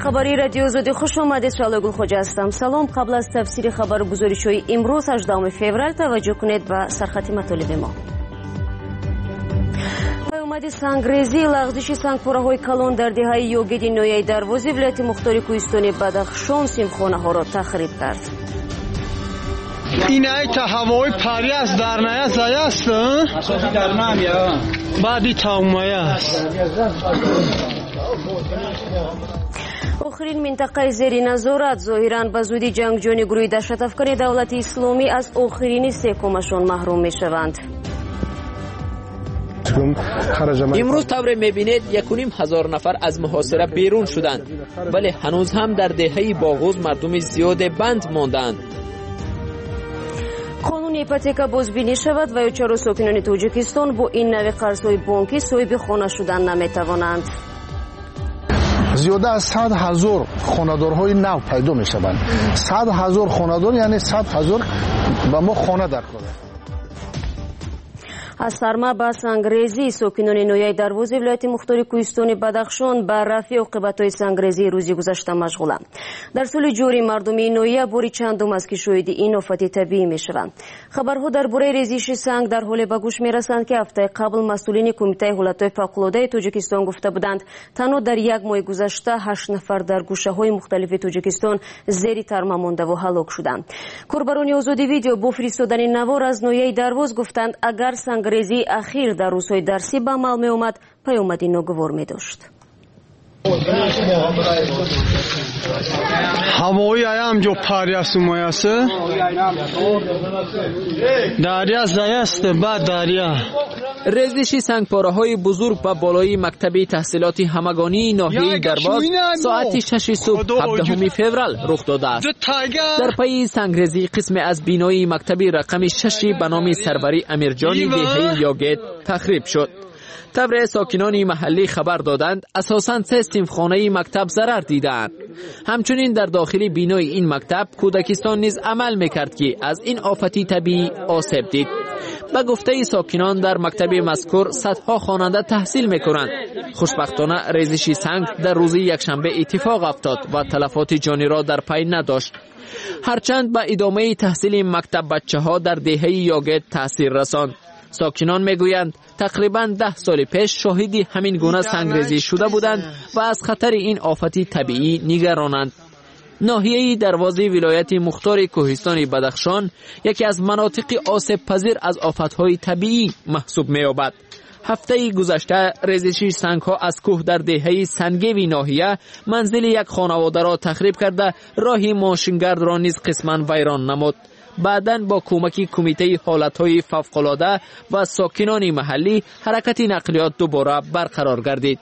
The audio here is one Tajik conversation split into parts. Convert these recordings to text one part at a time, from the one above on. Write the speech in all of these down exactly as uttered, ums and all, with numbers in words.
Хабарии Радиои Озодӣ хуш омадед. Шаҳло Гулхоҷа ҳастам. Салом. Қабл аз тафсири хабару гузоришҳои имрӯз, ҳаждаҳуми феврал, таваҷҷӯҳ кунед ба сархати матолиби мо. Паёмади сангрезӣ, лағзиши сангпораҳои калон дар деҳаи Ёгиди ноҳияи Дарвози вилояти мухтори кӯҳистони Бадахшон синфхонаҳоро тахриб кард. Ин айта ҳавои пари аст, дар ная заяст, баъди таумая аст. Охирин минтақаи зери назорат зоҳиран ба зудӣ ҷангҷӯёни гурӯҳи даҳшатафкани Давлати Исломӣ аз охирини секумашон маҳрум мешаванд. Имрӯз тавре мебинед, якуним ҳазор нафар аз муҳосира берун шуданд, вале ҳанӯз ҳам дар деҳаи Боғуз мардуми зиёде банд мондаанд. Қонуни ипотека бозбинӣ шавад ва ё чаро сокинони Тоҷикистон бо ин нави қарзҳои бонкӣ соҳиби хона шудан наметавонанд? Зиёда аз сад ҳазор хонадорҳои нав пайдо мешаванд. Сад ҳазор хонадор, яъне сад ҳазор ба мо хона дар кор. Аз сарма ба сангрезӣ сокинони ноҳияи Дарвози вилояти мухтори кӯҳистони Бадахшон ба рафъи оқибатҳои сангрезии рӯзи гузашта машғуланд. Дар соли ҷорӣ мардуми ин ноҳия бори чандум аст, ки шоҳиди ин офати табиӣ мешаванд. Хабарҳо дар бораи резиши санг дар ҳоле ба гӯш мерасанд, ки ҳафтаи қабл масъулини Кумитаи ҳолатҳои фавқулодаи Тоҷикистон гуфта буданд, танҳо дар як моҳи гузашта ҳашт нафар дар гӯшаҳои мухталифи Тоҷикистон зери тарма мондаву ҳалок шуданд. Корбарони Озодӣ Видео бо фиристодани навор аз ноҳияи Дарвоз гуфтанд, агар сангрезии ахир дар рӯзҳои дарсӣ ба амал меомад, паёмади ногувор медошт. Ҳавои аям ҷо пари аст, умаяст. Дарья заяст, баъд дарья. Резиши сангпораҳои бузург ба болои мактаби таҳсилоти ҳамагонии ноҳияи Дарвоз соати шаши субҳ ҳабдаҳуми феврал рух додааст. Дар пайи сангрезӣ қисме аз бинои мактаби рақами шаши ба номи Сарварӣ Амирҷони деҳаи Ёгед тахриб шуд. Тавре сокинони маҳаллӣ хабар доданд, асосан се синфхонаи мактаб зарар дидаанд. Ҳамчунин дар дохили бинои ин мактаб кӯдакистон низ амал мекард, ки аз ин офати табиӣ осеб дид. Ба гуфтаи сокинон, дар мактаби мазкур садҳо хонанда таҳсил мекунанд. Хушбахтона, резиши санг дар рӯзи якшанбе иттифоқ афтод ва талафоти ҷониро дар пай надошт. Ҳарчанд ба идомаи таҳсили мактаббачаҳо дар деҳаи Ёгед таъсир расонд. Сокинон мегӯянд, тақрибан даҳ соли пеш шоҳиди ҳамин гуна сангрезӣ шуда буданд ва аз хатари ин офати табиӣ нигаронанд. Ноҳияи Дарвози вилояти мухтори кӯҳистони Бадахшон яке аз манотиқи осебпазир аз офатҳои табиӣ маҳсуб меёбад. Ҳафтаи гузашта резиши сангҳо аз кӯҳ дар деҳаи Сангеви ноҳия манзили як хонаводаро тахриб карда, роҳи мошингардро низ қисман вайрон намуд. Баъдан бо кӯмаки Кумитаи ҳолатҳои фавқулода ва сокинони маҳаллӣ ҳаракати нақлиёт дубора барқарор гардид.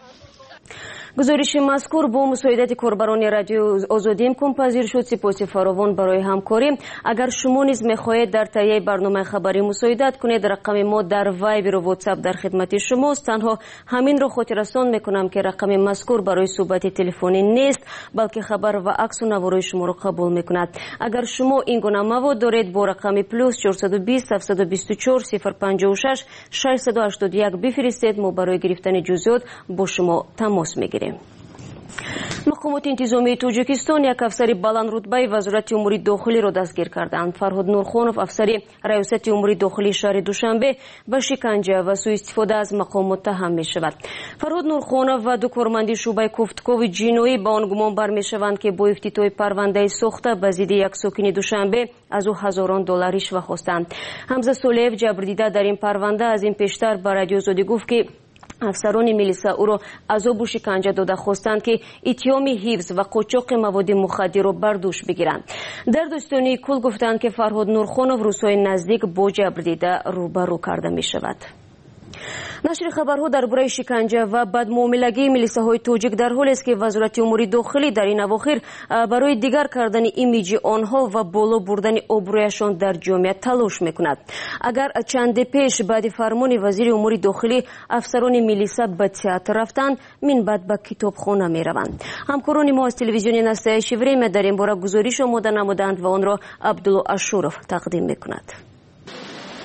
Гузориши мазкур бо мусоидати корбарони Радиои Озодӣ имконпазир шуд. Сипоси фаровон барои ҳамкорӣ. Агар шумо низ мехоҳед дар таҳияи барномаи хабарӣ мусоидат кунед, рақами мо дар Вайберу Ватсап дар хидмати шумост. Танҳо ҳаминро хотиррасон мекунам, ки рақами мазкур барои суҳбати телефонӣ нест, балки хабар ва аксу наворҳои шуморо қабул мекунад. Агар шумо ин гуна мавод доред, бо рақами плюс чорсаду бист ҳафтсаду бисту чор сифр панҷоҳу шаш шашсаду ҳаштоду як бифиристед. Мо барои гирифтани ҷузъиёт бо шумо тамос мегирем. Мақомоти интизомии Тоҷикистон як афсари баландрутбаи Вазорати умури дохилиро дастгир карданд. Фарҳод Нурхонов, афсари Раёсати умури дохилии шаҳри Душанбе, ба шиканҷа ва сӯистифода аз мақом муттаҳам мешавад. Фарҳод Нурхонов ва ду корманди шӯъбаи кофтукови ҷиноӣ ба он гумон бармешаванд, ки бо ифтитоҳи парвандаи сохта ба зидди як сокини Душанбе аз ӯ ҳазорон доллар ришва хостанд. Ҳамза Солеев, ҷабрдида дар ин парванда, аз ин пештар ба Радиои Озодӣ гуфт, ки афсарони милиса ӯро азобу шиканҷа дода, хостанд, ки иттиҳоми ҳифз ва қочоқи маводи мухаддирро бар дӯш бигиранд. Дар додситонии кулл гуфтанд, ки Фарҳод Нурхонов рӯзҳои наздик бо ҷабрдида рӯбарӯ карда мешавад. Нашри хабарҳо дар бораи шиканҷа ва бадмуомилагии милисаҳои тоҷик дар ҳолест, ки Вазорати умури дохилӣ дар ин авохир барои дигар кардани имиҷи онҳо ва боло бурдани обрӯяшон дар ҷомеа талош мекунад. Агар чанде пеш баъди фармони вазири умури дохилӣ афсарони милиса ба театр рафтанд, минбаъд ба китобхона мераванд. Ҳамкорони мо аз телевизиони «Настоящее время» дар ин бора гузориш омода намуданд ва онро Абдулло Ашуров тақдим мекунад.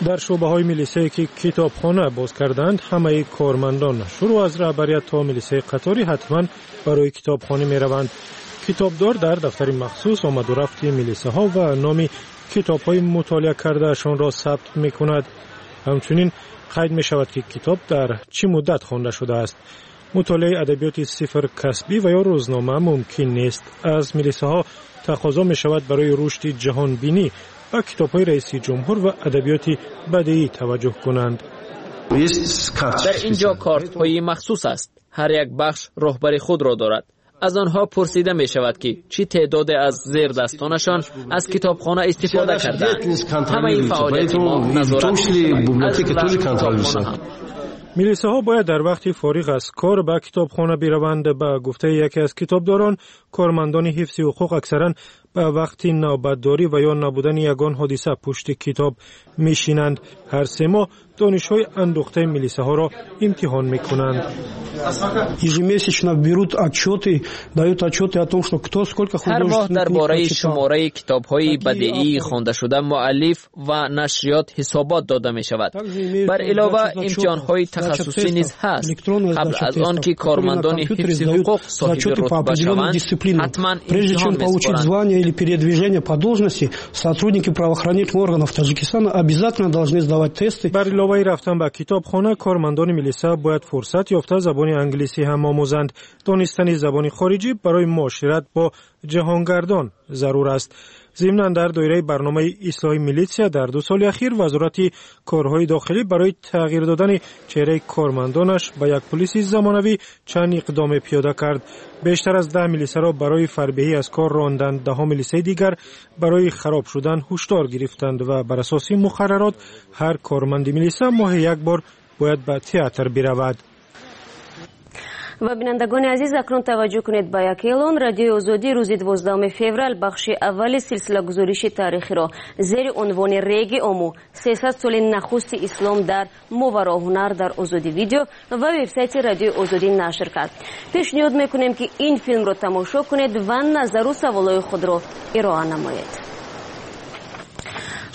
Дар шӯъбаҳои милисае, ки китобхона боз карданд, ҳамаи кормандон, шурӯъ аз раҳбарият то милисаи қаторӣ, ҳатман барои китобхонӣ мераванд. Китобдор дар дафтари махсус омаду рафти милисаҳо ва номи китобҳои мутолиа кардаашонро сабт мекунад. Ҳамчунин қайд мешавад, ки китоб дар чӣ муддат хонда шудааст. Мутолиаи адабиёти сифр касбӣ ва ё рӯзнома мумкин нест. Аз милисаҳо тақозо мешавад барои рушди ҷаҳонбинӣ ба китобҳои раиси ҷумҳур ва адабиёти бадеӣ таваҷҷӯҳ кунанд. Дар ин ҷо картҳои махсус аст. Ҳар як бахш роҳбари худро дорад. Аз онҳо пурсида мешавад, ки чӣ теъдоде аз зердастонашон аз китобхона истифода кардаанд. Ҳамаи фаъолияти мо назорат мешавад. Милисаҳо бояд дар вақти фориғ аз кор ба китобхона бираванд. Ба гуфтаи яке аз китобдорон, кормандони ҳифзи ҳуқуқ аксаран ба вақти навбатдорӣ ва ё набудани ягон ҳодиса пушти китоб мешинанд. Ҳар се моҳ донишҳои андӯхтаи милисаҳоро имтиҳон мекунанд. Ежемесячно берут отчеты, дают отчеты о том, что кто сколько Ҳар моҳ дар бораи шумораи китобҳои бадеии хондашуда муаллиф ва нашриёт ҳисобот дода мешавад. Бар илова имтиҳонҳои тахассусӣ низ ҳаст. Қабл аз он ки кормандони ҳифзи ҳуқуқ соҳиби рутба шаванд, ҳатман Прежде чем получить звание или передвижение по должности, сотрудники правоохранительных органов Таджикистана обязательно должны сдавать тесты. Бар иловаи рафтан ба китобхона, кормандони милиса бояд фурсат ёфта забони англисӣ ҳам омӯзанд. Донистани забони хориҷӣ барои муошират бо ҷаҳонгардон зарур аст. Зимнан, дар доираи барномаи ислоҳи милитсия дар ду соли ахир Вазорати корҳои дохилӣ барои тағйир додани чеҳраи кормандонаш ба як пулиси замонавӣ чанд иқдоме пиёда кард. Бештар аз даҳ милисаро барои фарбеҳӣ аз кор ронданд, даҳо милисаи дигар барои хароб шудан ҳушдор гирифтанд ва бар асоси муқаррарот ҳар корманди милиса моҳе як бор бояд ба театр биравад. Ва бинандагони азиз, акнун таваҷҷӯҳ кунед ба як эълон. Радиои Озодӣ рӯзи дувоздаҳуми феврал бахши аввали силсилагузориши таърихиро зери унвони «Реги Ому: сесад соли нахусти ислом дар Мовароҳунар» дар Озодӣ Видео ва вебсайти Радиои Озодӣ нашр кард. Пешниҳод мекунем, ки ин филмро тамошо кунед ва назару саволҳои худро ироа намоед.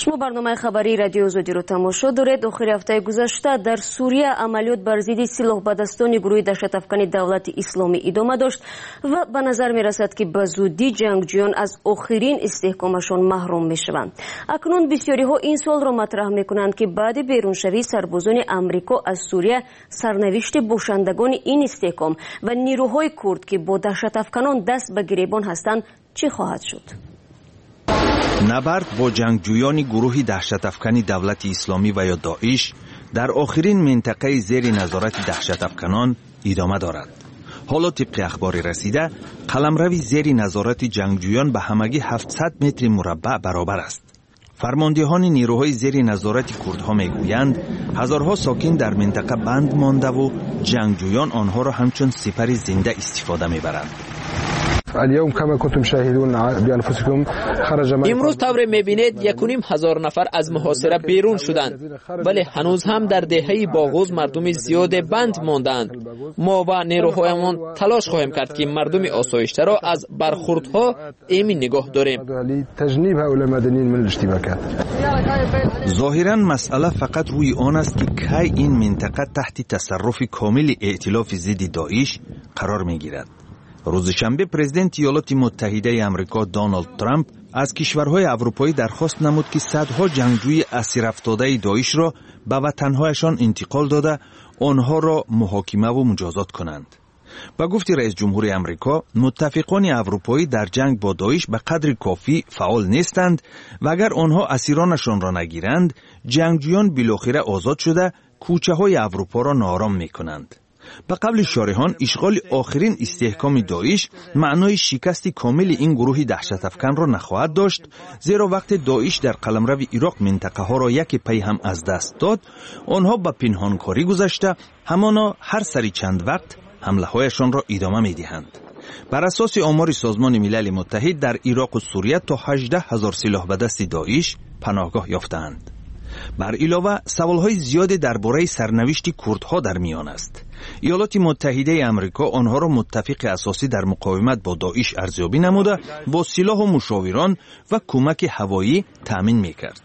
Шумо барномаи хабарии Радиои Озодиро тамошо доред. Охири ҳафтаи гузашта дар Сурия амалиёт бар зидди силоҳбадастони гурӯҳи даҳшатафкани Давлати Исломӣ идома дошт ва ба назар мерасад, ки ба зудӣ ҷангҷӯён аз охирин истиҳкомашон маҳрум мешаванд. Акнун бисёриҳо ин суолро матраҳ мекунанд, ки баъди беруншавии сарбозони Амрико аз Сурия сарнавишти бошандагони ин истиҳком ва нирӯҳои курд, ки бо даҳшатафканон даст ба гиребон ҳастанд, чӣ хоҳад шуд? Набард бо ҷангҷӯёни гурӯҳи даҳшатафкани Давлати Исломӣ ва ё Доиш дар охирин минтақаи зери назорати даҳшатафканон идома дорад. Ҳоло, тибқи ахбори расида, қаламрави зери назорати ҷангҷӯён ба ҳамагӣ ҳафтсад метри мураббаъ баробар аст. Фармондиҳони нирӯҳои зери назорати курдҳо мегӯянд, ҳазорҳо сокин дар минтақа банд мондаву ҷангҷӯён онҳоро ҳамчун сипари зинда истифода мебаранд. Имрӯз, тавре мебинед, якуним ҳазор нафар аз муҳосира берун шуданд, вале ҳанӯз ҳам дар деҳаи Боғуз мардуми зиёде банд мондаанд. Мо ва нерӯҳоямон талош хоҳем кард, ки мардуми осоиштаро аз бархурдҳо эмин нигоҳ дорем. Зоҳиран, масъала фақат рӯи он аст, ки кай ин минтақа таҳти тасарруфи комили эътилофи зидди Доиш қарор мегирад. Рӯзи шанбе президенти Иёлоти Муттаҳидаи Амрико Доналд Трамп аз кишварҳои аврупоӣ дархост намуд, ки садҳо ҷангҷӯи асирафтодаи Доишро ба ватанҳояшон интиқол дода, онҳоро муҳокимаву муҷозот кунанд. Ба гуфти раисҷумҳури Амрико, муттафиқони аврупоӣ дар ҷанг бо Доиш ба қадри кофӣ фаъол нестанд ва агар онҳо асиронашонро нагиранд, ҷангҷӯён билохира озод шуда, кӯчаҳои Аврупоро ноором мекунанд. Ба қавли шориҳон, ишғоли охирин истеҳкоми Доиш маънои шикасти комили ин гурӯҳи даҳшатафканро нахоҳад дошт, зеро вақте Доиш дар қаламрави Ироқ минтақаҳоро яке пай ҳам аз даст дод, онҳо ба пинҳонкорӣ гузашта, ҳамоно ҳар сари чанд вақт ҳамлаҳояшонро идома медиҳанд. Бар асоси омори Созмони Милали Муттаҳид, дар Ироқу Сурия то ҳаждаҳ ҳазор силоҳ ба дасти Доиш паноҳгоҳ ёфтаанд. Бар илова, саволҳои зиёде дар бораи сарнавишти курдҳо дар миён аст. Иёлоти Муттаҳидаи Амрико онҳоро муттафиқи асосӣ дар муқовимат бо Доиш арзёбӣ намуда, бо силоҳу мушовирон ва кӯмаки ҳавоӣ таъмин мекард.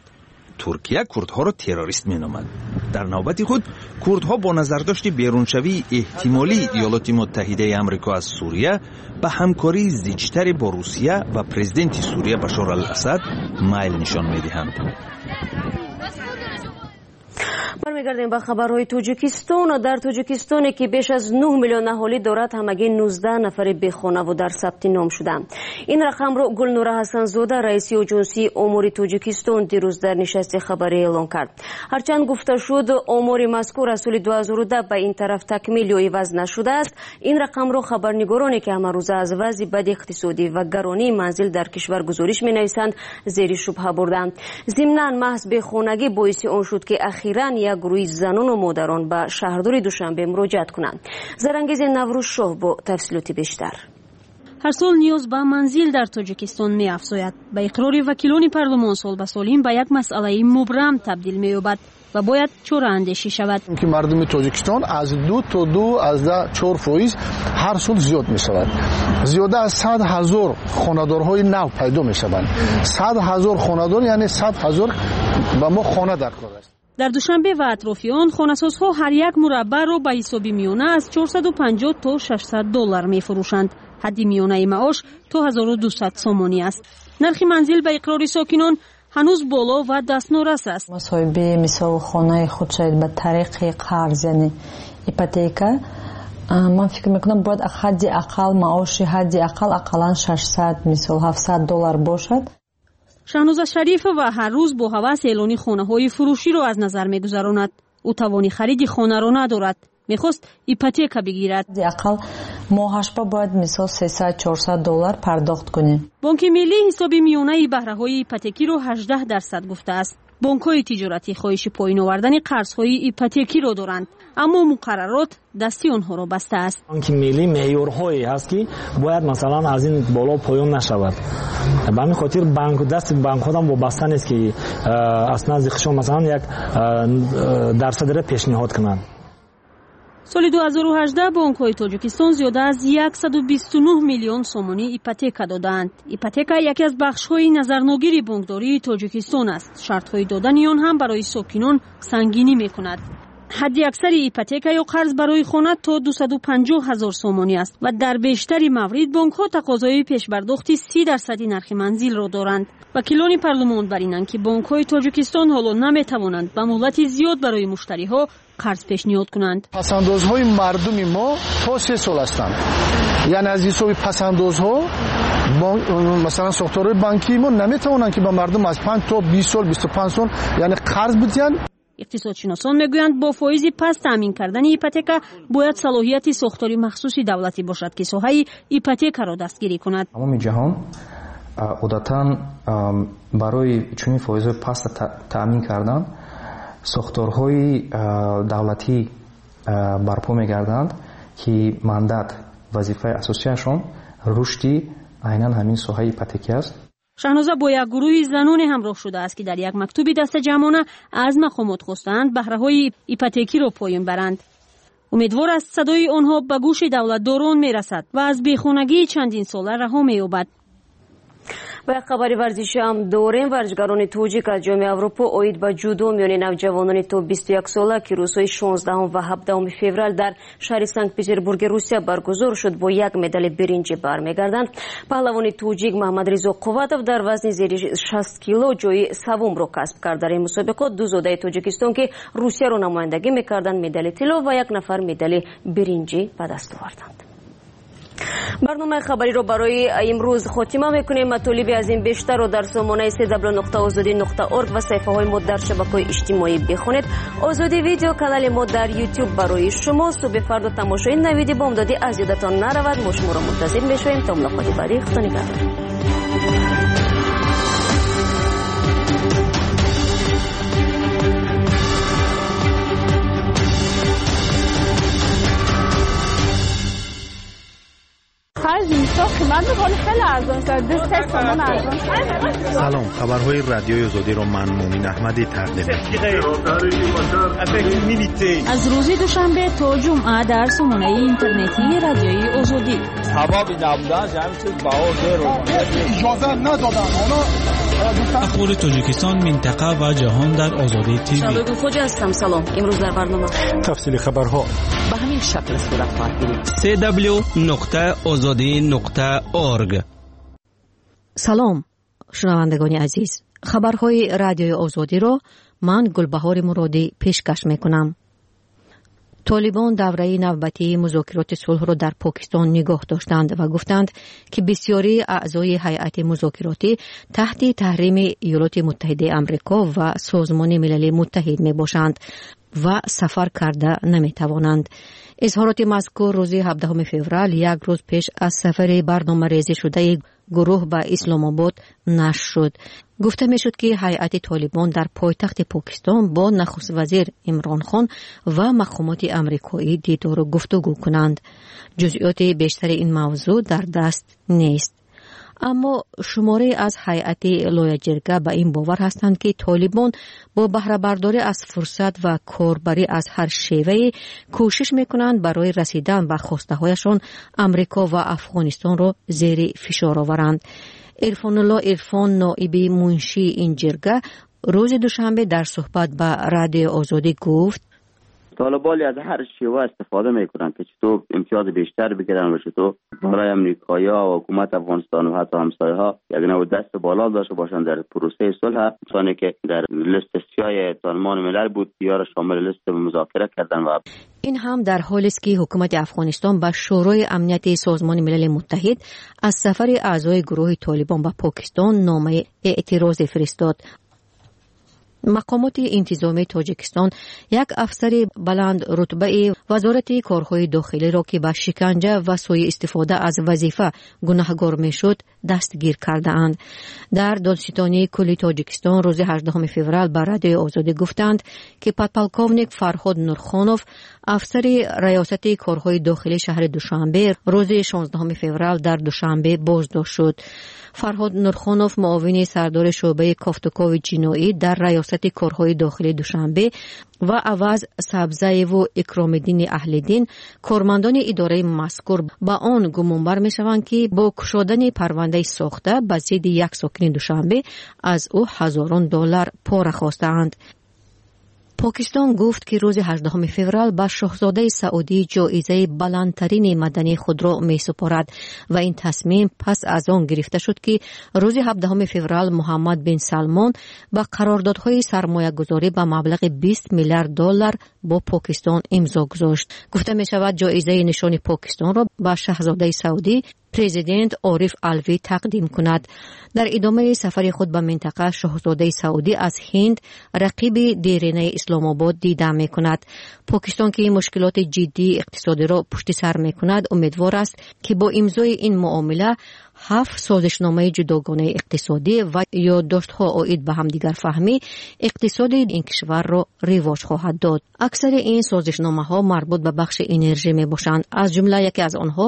Туркия курдҳоро террорист меномад. Дар навбати худ курдҳо бо назардошти беруншавии эҳтимолии Иёлоти Муттаҳидаи Амрико аз Сурия ба ҳамкории зичтаре бо Русия ва президенти Сурия Башор ал-Асад майл нишон медиҳанд. Бармегардем ба хабарҳои Тоҷикистон. Дар Тоҷикистоне ки беш аз нӯҳ миллион аҳолӣ дорад, ҳамагӣ нуздаҳ нафари бехонаву дар сабти ном шуданд. Ин рақамро Гулнура Ҳасанзода, раиси оҷонсии омори Тоҷикистон, дирӯз дар нишасти хабарӣ эълон кард. Ҳарчанд гуфта шуд, омори мазкур аз соли ду ҳазору даҳ ба ин тараф такмил ё иваз нашудааст. Ин рақамро хабарнигороне ки ҳамарӯза аз вазъи бади иқтисодӣ ва гаронии манзил дар кишвар гузориш менависанд, зери шубҳа бурданд. Зимнан маҳз бехонагӣ боиси он шуд, ки ахиран як гурӯҳи занону модарон ба шаҳрдори Душанбе муроҷиат кунанд. Зарангези Наврӯзшоҳ бо тафсилоти бештар. Ҳар сол ниёз ба манзил дар Тоҷикистон меафзояд. Ба иқрори вакилони парлумон, сол ба сол ин ба як масъалаи мубрам табдил меёбад ва бояд чораандешӣ шавад. Ки мардуми Тоҷикистон аз ду то ду аз даҳ чор фоиз ҳар сол зиёд мешавад. Зиёда аз сад ҳазор хонадорҳои нав пайдо мешаванд. Сад ҳазор хонадор, яъне сад ҳазор ба мо хона дар кор аст. Дар Душанбе ва атрофи он хонасозҳо ҳар як мураббаъро ба ҳисоби миёна аз чорсаду панҷоҳ то шашсад доллар мефурӯшанд. Ҳадди миёнаи маош то ҳазору дусад сомонӣ аст. Нархи манзил ба иқрори сокинон ҳанӯз боло ва дастнорас аст. Соҳиби мисол хонаи худ шавед ба тариқи қарз, яъне ипотека, ман фикр мекунам бояд ҳадди ақал маоши ҳадди ақал ақаллан шашсад мисол ҳафтсад доллар бошад. Шаҳноза Шарифова ҳар рӯз бо ҳавас эълони хонаҳои фурӯширо аз назар мегузаронад. Ӯ тавони хариди хонаро надорад. Мехост ипотека бигирад. Ҳадди ақал моҳашба бояд мисол сесад чорсад доллар пардохт кунем. Бонки миллӣ ҳисоби миёнаи баҳраҳои ипотекиро ҳаждаҳ дарсад гуфтааст. Бонкҳои тиҷоратӣ хоҳиши поён овардани қарзҳои ипотекиро доранд, аммо муқаррарот дасти онҳоро бастааст. Бонки миллӣ меъёрҳое ҳаст, ки бояд масалан аз ин боло поён нашавад. Ба ҳамин хотир банк дасти банкҳо ҳам вобаста нест, ки аз назди худшон масалан як дарсадро пешниҳод кунанд. Соли ду ҳазору ҳаждаҳ бонкҳои Тоҷикистон зиёда аз яксаду бисту нӯҳ миллион сомонӣ ипотека додаанд. Ипотека яке аз бахшҳои назарногири бонкдории Тоҷикистон аст. Шартҳои додани он ҳам барои сокинон сангинӣ мекунад. Ҳадди аксари ипотека ё қарз барои хона то дусаду панҷоҳ ҳазор сомонӣ аст ва дар бештари маврид бонкҳо тақозои пешбардохти си дарсади нархи манзилро доранд. Вакилони парлумон бар инанд, ки бонкҳои Тоҷикистон ҳоло наметавонанд ба муҳлати зиёд барои муштариҳо қарз пешниҳод кунанд. Пасандозҳои мардуми мо то се сол ҳастанд. Яъне аз ҳисоби пасандозҳо масалан сохторҳои банкии мо наметавонанд, ки ба мардум аз панҷ то бист сол, бисту панҷ сол яъне қарз бидиҳанд. Иқтисодшиносон мегӯянд, бо фоизи паст таъмин кардани ипотека бояд салоҳияти сохтори махсуси давлатӣ бошад, ки соҳаи ипотекаро дастгирӣ кунад. Тамоми ҷаҳон одатан барои чунин фоизҳои паст таъмин кардан сохторҳои давлатӣ барпо мегарданд, ки мандат вазифаи асосияшон рушди айнан ҳамин соҳаи ипотекӣ аст. Шаҳноза бо як гурӯҳи заноне ҳамроҳ шудааст, ки дар як мактуби дастаҷамъона аз мақомот хостаанд баҳраҳои ипотекиро поён баранд. Умедвор аст садои онҳо ба гӯши давлатдорон мерасад ва аз бехонагии чандин сола раҳо меёбад. Ба як хабари варзишӣ ҳам дорем. Варзишгарони тоҷик аз Ҷоми Аврупо оид ба ҷудо миёни навҷавонони то бисту як сола, ки рӯзҳои шонздаҳум ва ҳабдаҳуми феврал дар шаҳри Санкт-Петербурги Русия баргузор шуд, бо як медали биринҷӣ бармегарданд. Паҳлавони тоҷик Маҳмадризо Қувватов дар вазни зери шаст кило ҷои саввумро касб кард. Дар ин мусобиқот ду зодаи Тоҷикистон, ки Русияро намояндагӣ мекарданд, медали тилло ва як нафар медали биринҷӣ ба даст оварданд. Барномаи хабариро барои имрӯз хотима мекунем. Матолиби аз ин бештарро дар сомонаи се дабл нуқта озодӣ нуқта орг ва саҳифаҳои мо дар шабакаҳои иҷтимоӣ бихонед. Озодӣ видео канали мо дар ютуб барои шумо. Субҳи фардо тамошои навиди бомдодӣ аз ёдатон наравад. Мо шуморо мунтазир мешавем. То мулоқоти баъдӣ, худо нигаҳдор. خرج اینستا قیمت میکنه خیلی ارزان شد. Ду се сомон арзон. Салом, хабарҳои Радиои Озодиро ман Мумин Аҳмадӣ тақдим мекунам. Аз рӯзи душанбе то ҷумъа дар сомонаи интернетии Радиои Озодӣ. Сабаби набуданаш ҳамин чиз баҳо зеро. Иҷоза надоданд оно. Ахбори Тоҷикистон, минтақа ва ҷаҳон дар Озодӣ ТВ. Шалои Хоҷа ҳастам. Салом. Имрӯз дар барнома тафсили хабарҳо ба ҳамин шакл сурат хоҳад гирифт. си дабл-ю нуқта озодӣ нуқта орг. Салом, шунавандагони азиз. Хабарҳои Радиои Озодиро ман Гулбаҳори Муродӣ пешкаш мекунам. Толибон давраи навбатии музокироти сулҳро дар Покистон нигоҳ доштанд ва гуфтанд, ки бисёрии аъзои ҳайати музокиротӣ таҳти таҳрими Иёлоти Муттаҳидаи Амрико ва Созмони Милали Муттаҳид мебошанд ва сафар карда наметавонанд. Изҳороти мазкур рӯзи ҳабдаҳуми феврал, як рӯз пеш аз сафари барномарезӣ шудаи гурӯҳ ба Исломобод нашр шуд. Гуфта мешуд, ки ҳайати Толибон дар пойтахти Покистон бо нахуствазир Имрон Хон ва мақомоти амрикоӣ дидору гуфтугӯ кунанд. Ҷузъиёти бештари ин мавзӯъ дар даст нест. Аммо шуморе аз ҳайати лояҷирга ба ин бовар ҳастанд, ки Толибон бо баҳрабардорӣ аз фурсат ва корбарӣ аз ҳар шевае кӯшиш мекунанд барои расидан ба хостаҳояшон Амрико ва Афғонистонро зери фишор оваранд. Ирфонулло Ирфон, ноиби муншии ин ҷирга, рӯзи душанбе дар суҳбат ба Радиои Озодӣ гуфт: طالبان از هر شیوه استفاده میکنن که چطور امتیاز بیشتر بگیرن و چطور برای امریکایی‌ها و حکومت افغانستان و حتی همسایه‌ها یک نوع دست بالا داشته باشند در پروسه صلح. کسانی که در لیست سیاه سازمان ملل بود یا را شامل لیست مذاکره کردن. و این هم در حالی است که حکومت افغانستان به شورای امنیت سازمان ملل متحد از سفر اعضای گروه طالبان به پاکستان نامه اعتراض فرستاد. Мақомоти интизомии Тоҷикистон як афсари баландрутбаи Вазорати корҳои дохилиро, ки ба шиканҷа ва сӯи истифода аз вазифа гунаҳгор мешуд, дастгир кардаанд. Дар Додситонии кулли Тоҷикистон рӯзи ҳаждаҳуми феврал ба Радиои Озодӣ гуфтанд, ки подполковник Фарҳод Нурхонов, афсари раёсати корҳои дохилии шаҳри Душанбе, рӯзи шонздаҳуми феврал дар Душанбе боздошт шуд. Фарҳод Нурхонов, муовини сардори шӯъбаи кофтукови ҷиноӣ дар раёсати корҳои дохилии Душанбе, ва Аваз Сабзаеву Икромиддини Аҳлиддин, кормандони идораи мазкур, ба он гумонбар мешаванд, ки бо кушодани парвандаи сохта ба зидди як сокини Душанбе аз ӯ ҳазорон доллар пора хостаанд. Покистон гуфт, ки рӯзи ҳаждаҳуми феврал ба шоҳзодаи Саудӣ ҷоизаи баландтарини мадании худро месупорад ва ин тасмим пас аз он гирифта шуд, ки рӯзи ҳабдаҳуми феврал Муҳаммад бин Салмон ба қарордодҳои сармоягузорӣ ба маблағи бист миллиард доллар бо Покистон имзо гузошт. Гуфта мешавад, ҷоизаи нишони Покистонро ба шаҳзодаи Саудӣ президент Ориф Алвӣ тақдим кунад. Дар идомаи сафари худ ба минтақа шоҳзодаи Саудӣ аз Ҳинд, рақиби деринаи Исломобод, дида мекунад. Покистон, ки мушкилоти ҷиддии иқтисодиро пушти сар мекунад, умедвор аст, ки бо имзои ин муомила ҳафт созишномаи ҷудогонаи иқтисодӣ ва ёддоштҳо оид ба ҳамдигарфаҳмӣ иқтисоди ин кишварро ривоҷ хоҳад дод. Аксари ин созишномаҳо марбут ба бахши энержӣ мебошанд. Аз ҷумла яке аз онҳо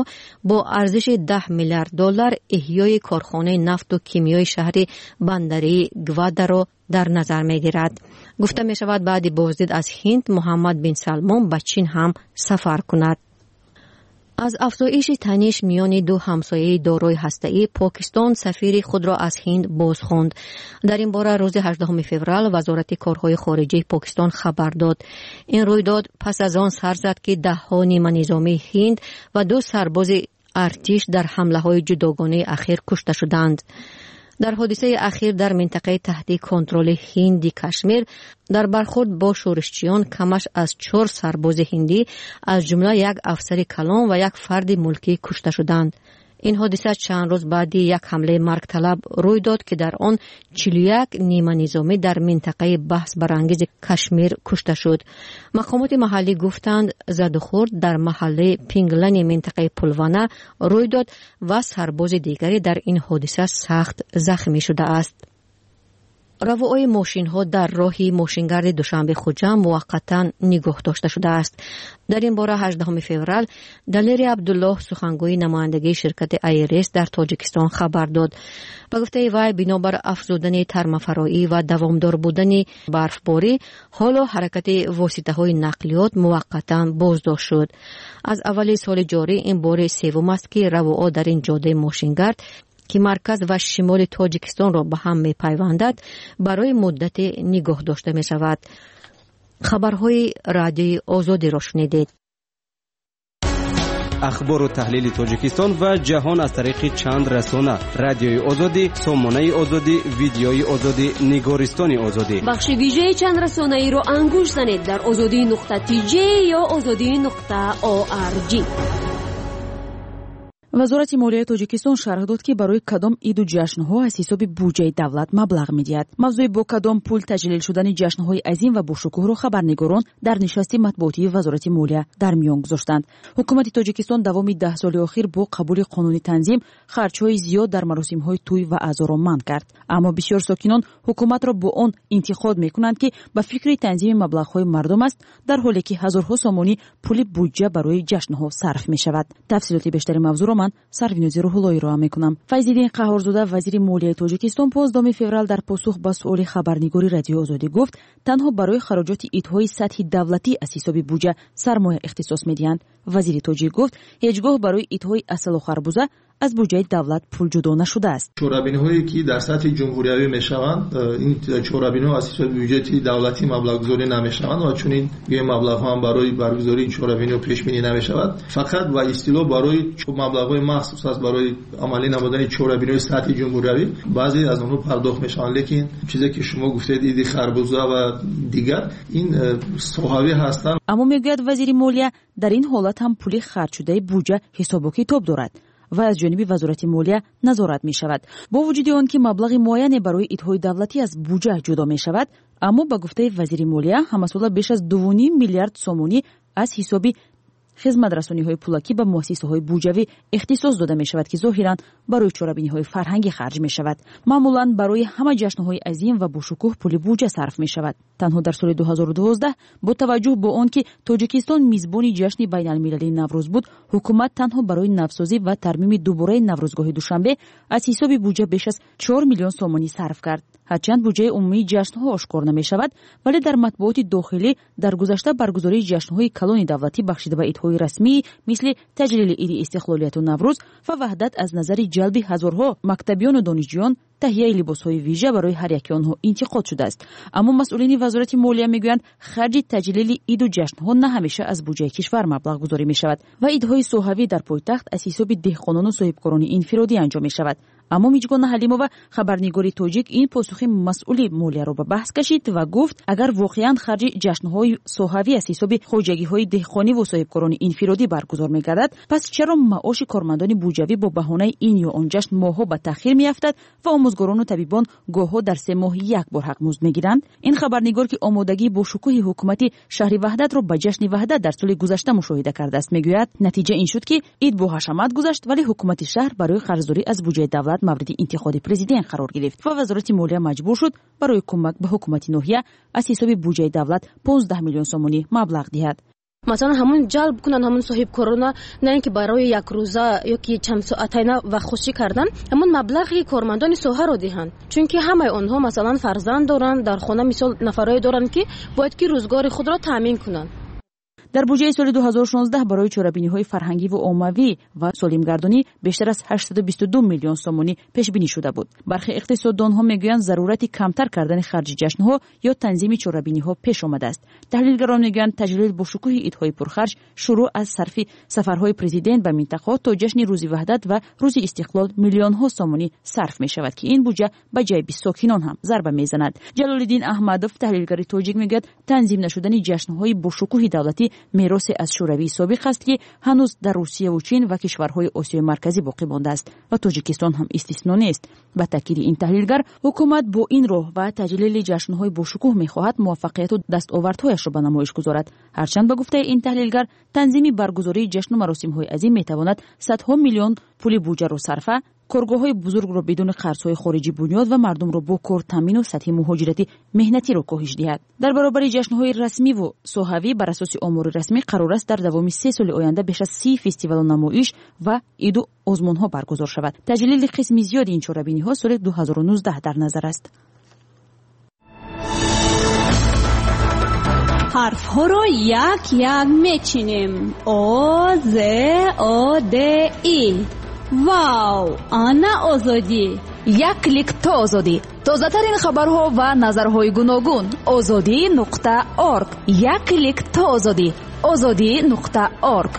бо арзиши даҳ миллиард доллар эҳёи корхонаи нафту кимиёи шаҳри бандарии Гвадаро дар назар мегирад. Гуфта мешавад, баъди боздид аз Ҳинд Муҳаммад бин Салмон ба Чин ҳам сафар кунад. Аз афзоиши таниш миёни ду ҳамсояи дорои ҳастаӣ Покистон сафири худро аз Ҳинд бозхонд. Дар ин бора рӯзи ҳаждаҳуми феврал Вазорати корҳои хориҷии Покистон хабар дод. Ин рӯйдод пас аз он сар зад, ки даҳҳо ниманизомии Ҳинд ва ду сарбози артиш дар ҳамлаҳои ҷудогонаи ахир кушта шуданд. Дар ҳодисаи ахир дар минтақаи таҳти контроли Ҳинди Кашмир дар бархӯрд бо шӯришчиён камаш аз чор сарбози ҳиндӣ, аз ҷумла як афсари калон ва як фарди мулкӣ кушта шуданд. Ин ҳодиса чанд рӯз баъди як ҳамлаи маргталаб рӯй дод, ки дар он чилу як ниманизомӣ дар минтақаи баҳсбарангези Кашмир кушта шуд. Мақомоти маҳаллӣ гуфтанд, задухӯрд дар маҳаллаи Пинглани минтақаи Пулвана рӯй дод ва сарбози дигаре дар ин ҳодиса сахт захмӣ шудааст. Равои мошинҳо дар роҳи мошингарди Душанбе-Хуҷанд муваққатан нигоҳ дошта шудааст. Дар ин бора ҳаждаҳуми феврал Далери Абдуллоҳ, сухангӯи намояндагии ширкати Айрес дар Тоҷикистон, хабар дод. Ба гуфтаи вай, бинобар афзудани тармафароӣ ва давомдор будани барфборӣ, ҳоло ҳаракати воситаҳои нақлиёт муваққатан боздошт шуд. Аз аввали соли ҷорӣ ин бори севум аст, ки равоа дар ин ҷодаи мошингард, ки марказ ва шимоли Тоҷикистонро ба ҳам мепайвандад, барои муддате нигоҳ дошта мешавад. Хабарҳои Радиои Озодиро шунидед. Ахбору таҳлили Тоҷикистон ва ҷаҳон аз тариқи чанд расона: Радиои Озодӣ, Сомонаи Озодӣ, Видеои Озодӣ, Нигористони Озодӣ. Бахши вижаи чанд расонаиро ангушт занед дар озодӣ нуқта тж ё озодӣ нуқта орг. Вазорати молияи Тоҷикистон шарҳ дод, ки барои кадом иду ҷашнҳо аз ҳисоби буҷаи давлат маблағ медиҳад. Мавзӯи бо кадом пул таҷлил шудани ҷашнҳои азим ва бошукӯҳро хабарнигорон дар нишасти матбуотии Вазорати молия дар миён гузоштанд. Ҳукумати Тоҷикистон давоми даҳ соли охир бо қабули қонуни танзим харҷҳои зиёд дар маросимҳои тӯй ва аъзоро манъ кард. Аммо бисёр сокинон ҳукуматро бо он интиқод мекунанд, ки ба фикри танзими маблағҳои мардум аст, дар ҳоле ки ҳазорҳо сомонӣ пули буҷа барои ҷашнҳо сарф мешавад. Тафсилоти бештари мавзӯъро ман Сарвинози Рӯҳуллоӣ роҳа мекунам. Файзиддин Қаҳорзода, вазири молияи Тоҷикистон, понздаҳуми феврал дар посух ба суоли хабарнигори Радиои Озодӣ гуфт, танҳо барои хароҷоти идҳои сатҳи давлатӣ аз ҳисоби буҷа сармоя ихтисос медиҳанд. Вазири тоҷик гуфт, ҳеҷ гоҳ барои идҳои асалу харбуза аз буҷаи давлат пул ҷудо нашудааст. Чорабиниҳое ки дар сатҳи ҷумҳуриявӣ мешаванд, ин чорабиниҳо аз ҳисоби буҷети давлатӣ маблағгузорӣ намешаванд ва чунин маблағҳо ҳам барои баргузории чорабиниҳо пешбинӣ намешавад. Фақат ба истилоҳ барои маблағҳои махсус аст барои амалӣ намудани чорабиниҳои сатҳи ҷумҳуриявӣ баъзе аз онҳо пардохт мешаванд. Лекин чизе ки шумо гуфтед, иди харбуза ва дигар, ин соҳавӣ ҳастанд. Аммо мегӯяд вазири молия, дар ин ҳолат ҳам пули харҷшудаи буҷа ҳисобу китоб дорад ва аз ҷониби Вазорати молия назорат мешавад. Бо вуҷуди он ки маблағи муайяне барои идҳои давлатӣ аз буҷа ҷудо мешавад, аммо ба гуфтаи вазири молия ҳамасола беш аз дуву ним миллиард сомонӣ аз ҳисоби хизматрасониҳои пулакӣ ба муассисаҳои буҷавӣ ихтисос дода мешавад, ки зоҳиран барои чорабиниҳои фарҳангӣ харҷ мешавад. Маъмулан барои ҳама ҷашнҳои азим ва бошукӯҳ пули буҷа сарф мешавад. Танҳо дар соли ду ҳазору дувоздаҳ бо таваҷҷӯҳ бо он ки Тоҷикистон мизбони ҷашни байналмилалии Наврӯз буд, ҳукумат танҳо барои навсозӣ ва тармими дубораи Наврӯзгоҳи Душанбе аз ҳисоби буҷа беш аз чор миллион сомонӣ сарф кард. Ҳарчанд буҷаи умумии ҷашнҳо ошкор намешавад, вале дар матбуоти дохилӣ дар гузашта баргузории ҷашнҳои калони давлатӣ бахшида ба идҳои расмӣ мисли таҷлили иди истиқлолияту Наврӯз ва Ваҳдат аз назари ҷалби ҳазорҳо мактабиёну донишҷӯён таҳияи либосҳои вижа барои ҳар яки онҳо интиқод шудааст. Аммо масъулини Вазорати молия мегӯянд, харҷи таҷлили иду ҷашнҳо на ҳамеша аз буҷаи кишвар маблағгузорӣ мешавад ва идҳои соҳавӣ дар пойтахт аз ҳисоби деҳқонону соҳибкорони инфиродӣ анҷом мешавад. Аммо Миҷгона Ҳалимова, хабарнигори тоҷик, ин посухи масъули молияро ба баҳс кашид ва гуфт, агар воқеан харҷи ҷашнҳои соҳавӣ аз ҳисоби хоҷагиҳои деҳқониву соҳибкорони инфиродӣ баргузор мегардад, пас чаро маоши кормандони буҷавӣ бо баҳонаи ин ё он ҷашн моҳҳо ба таъхир меафтад ва омӯзгорону табибон гоҳҳо дар се моҳ як бор ҳақмузд мегиранд? Ин хабарнигор, ки омодагии бошукӯҳи ҳукумати шаҳри Ваҳдатро ба ҷашни Ваҳдат дар соли гузашта мушоҳида кардааст, мегӯяд натиҷа ин шуд, ки ид бо ҳашамат гузашт, вале ҳукумати шаҳр барои қарздорӣ аз буҷаи давлат мавриди интиқоди президент қарор гирифт ва Вазорати молия маҷбур шуд барои кӯмак ба ҳукумати ноҳия аз ҳисоби буҷаи давлат понздаҳ миллион сомонӣ маблағ диҳад. Масалан, ҳамон ҷалб кунанд ҳамон соҳибкорона, на ин ки барои як рӯза ё ки чанд соатайна вақт хушӣ кардан, ҳамон маблағи кормандони соҳаро диҳанд. Чунки ҳамаи онҳо масалан фарзанд доранд, дар хона мисол нафарое доранд, ки бояд ки рӯзгори худро таъмин кунанд. Дар буҷаи соли ду ҳазору шонздаҳ барои чорабиниҳои фарҳангӣ ва оммавӣ ва солимгардонӣ бештар аз ҳаштсаду бисту ду миллион сомонӣ пешбинӣ шуда буд. Бархе иқтисоддонҳо мегӯянд, зарурати камтар кардани харҷи ҷашнҳо ё танзими чорабиниҳо пеш омадааст. Таҳлилгарон мегӯянд, таҷлил бо шукӯҳи идҳои пурхарҷ шурӯъ аз сарфи сафарҳои президент ба минтақаҳо то ҷашни Рӯзи Ваҳдат ва Рӯзи Истиқлол миллионҳо сомонӣ сарф мешавад, ки ин буҷа ба ҷайби сокинон ҳам зарба мезанад. Ҷалолиддин Аҳмадов, таҳлилгари тоҷик, мегӯяд, танзим нашудани ҷашнҳои бошукӯҳи давлатӣ меросе аз Шӯравии собиқ аст, ки ҳанӯз дар Русияву Чин ва кишварҳои Осиёи Марказӣ боқӣ мондааст ва Тоҷикистон ҳам истисно нест. Ба таъкиди ин таҳлилгар, ҳукумат бо ин роҳ ва таҷлили ҷашнҳои бошукӯҳ мехоҳад муваффақияту дастовардҳояшро ба намоиш гузорад. Ҳарчанд ба гуфтаи ин таҳлилгар, танзими баргузории ҷашну маросимҳои азим метавонад садҳо миллион пули буҷаро сарфа Коргоҳҳои бузургро бидуни қарзҳои хориҷӣ бунёд ва мардумро бо кор таъмину сатҳи муҳоҷирати меҳнатиро коҳиш диҳад. Дар баробари ҷашнҳои расмиву соҳавӣ бар асоси омори расмӣ қарор аст дар давоми се соли оянда беш аз си фестивалу намоиш ва иду озмунҳо баргузор шавад. Таҷлили қисми зиёди ин чорабиниҳо соли ду ҳазору нуздаҳ дар назар аст. Ҳарфҳоро як-як мечинем. О, З, О, Д, И. Вау! Ана Озодӣ! Як клик то Озодӣ. Тозатарин хабарҳо ва назарҳои гуногун. Озодӣ нуқта орг. Як клик то Озодӣ. Озодӣ нуқта орг.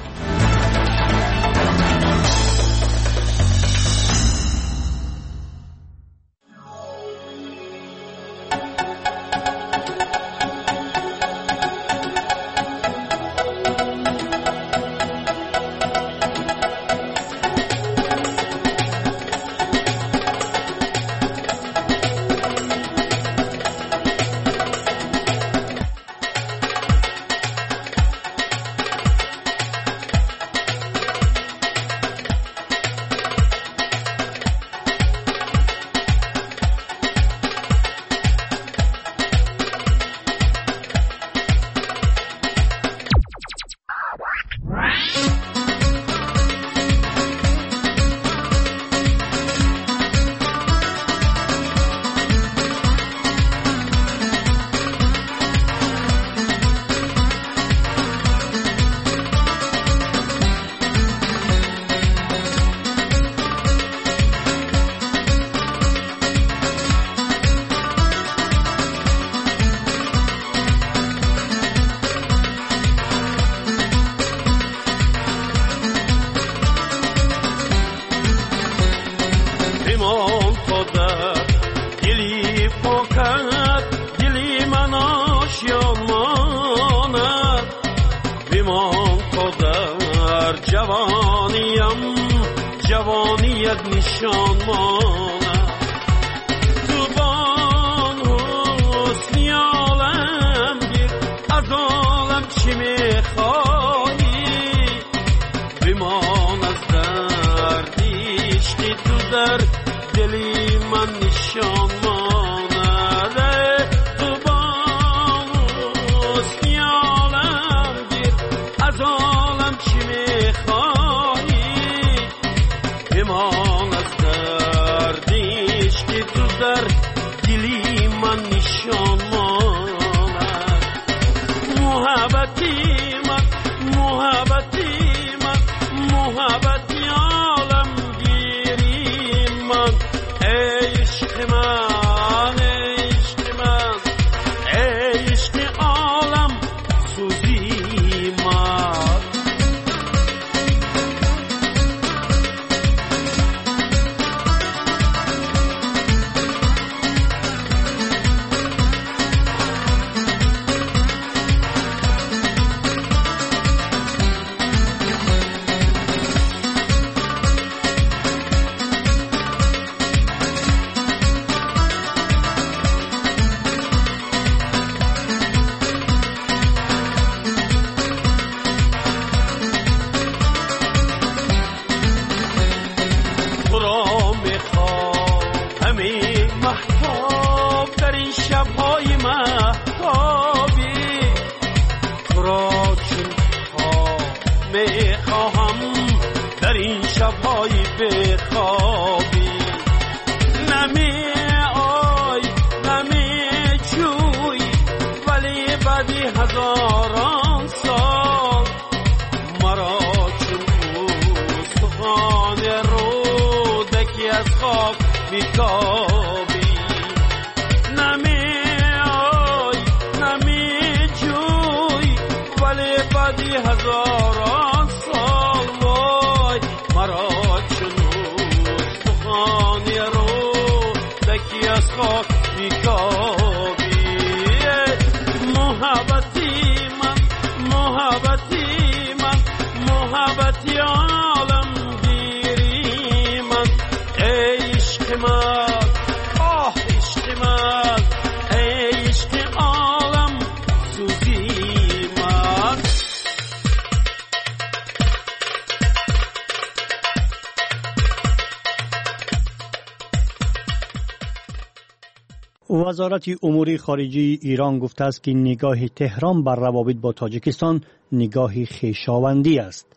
Вазорати умури хориҷии Эрон гуфтааст, ки нигоҳи Теҳрон бар равобит бо Тоҷикистон нигоҳи хешовандӣ аст.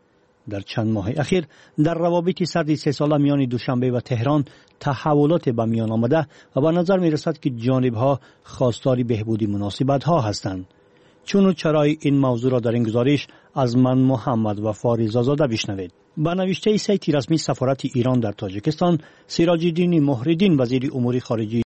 Дар чанд моҳи ахир дар равобити сарди сесола миёни Душанбе ва Теҳрон таҳаввулоте ба миён омада ва ба назар мерасад, ки ҷонибҳо хостори беҳбуди муносибатҳо ҳастанд. Чуну чарои ин мавзӯъро дар ин гузориш аз ман Муҳаммад Вафо Ризозода бишнавед. Ба навиштаи сайти расмии сафорати Эрон дар Тоҷикистон, Сироҷиддини Муҳриддин, вазири умури хориҷии